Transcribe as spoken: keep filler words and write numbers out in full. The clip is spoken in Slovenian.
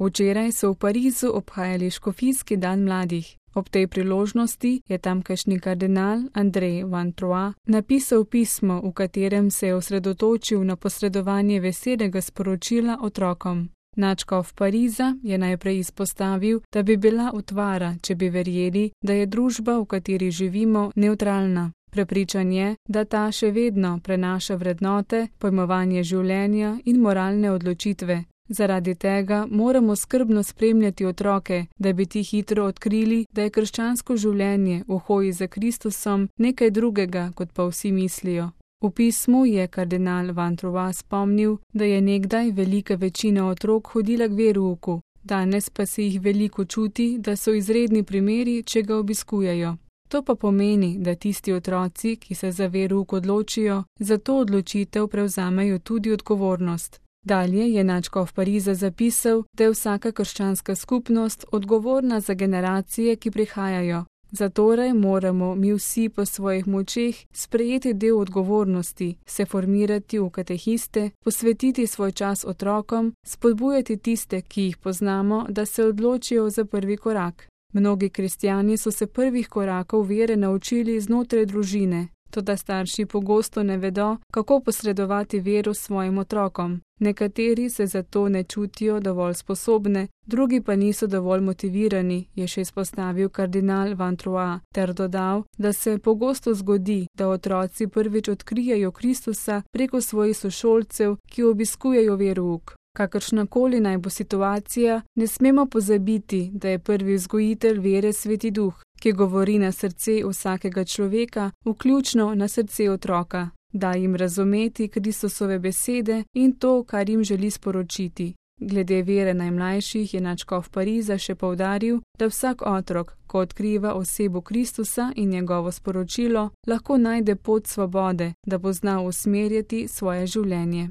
Včeraj so v Parizu obhajali škofijski dan mladih. Ob tej priložnosti je tamkajšnji kardinal Andrej Van Troyes napisal pismo, v katerem se je osredotočil na posredovanje veselega sporočila otrokom. Nadškof Pariza je najprej izpostavil, da bi bila utvara, če bi verjeli, da je družba, v kateri živimo, nevtralna. Prepričan je, da ta še vedno prenaša vrednote, pojmovanje življenja in moralne odločitve. Zaradi tega moramo skrbno spremljati otroke, da bi ti hitro odkrili, da je krščansko življenje v hoji za Kristusom nekaj drugega, kot pa vsi mislijo. V pismu je kardinal Van Troyes spomnil, da je nekdaj velika večina otrok hodila k verouku, danes pa se jih veliko čuti, da so izredni primeri, če ga obiskujejo. To pa pomeni, da tisti otroci, ki se za verouk odločijo, za to odločitev prevzamejo tudi odgovornost. Dalje je nadškof Pariza zapisal, da je vsaka krščanska skupnost odgovorna za generacije, ki prihajajo. Zatorej moramo mi vsi po svojih močeh sprejeti del odgovornosti, se formirati v katehiste, posvetiti svoj čas otrokom, spodbujati tiste, ki jih poznamo, da se odločijo za prvi korak. Mnogi kristjani so se prvih korakov vere naučili znotraj družine, toda starši pogosto ne vedo, kako posredovati vero svojim otrokom. Nekateri se zato ne čutijo dovolj sposobne, drugi pa niso dovolj motivirani, je še izpostavil kardinal Van Troyes, ter dodal, da se pogosto zgodi, da otroci prvič odkrijejo Kristusa preko svojih sošolcev, ki obiskujejo verouk. Kakršnakoli naj bo situacija, ne smemo pozabiti, da je prvi vzgojitelj vere Sveti Duh, ki govori na srce vsakega človeka, vključno na srce otroka. Da jim razumeti Kristusove besede in to, kar jim želi sporočiti. Glede vere najmlajših je nadškof Pariza še poudaril, da vsak otrok, ko odkriva osebo Kristusa in njegovo sporočilo, lahko najde pot svobode, da bo znal usmerjati svoje življenje.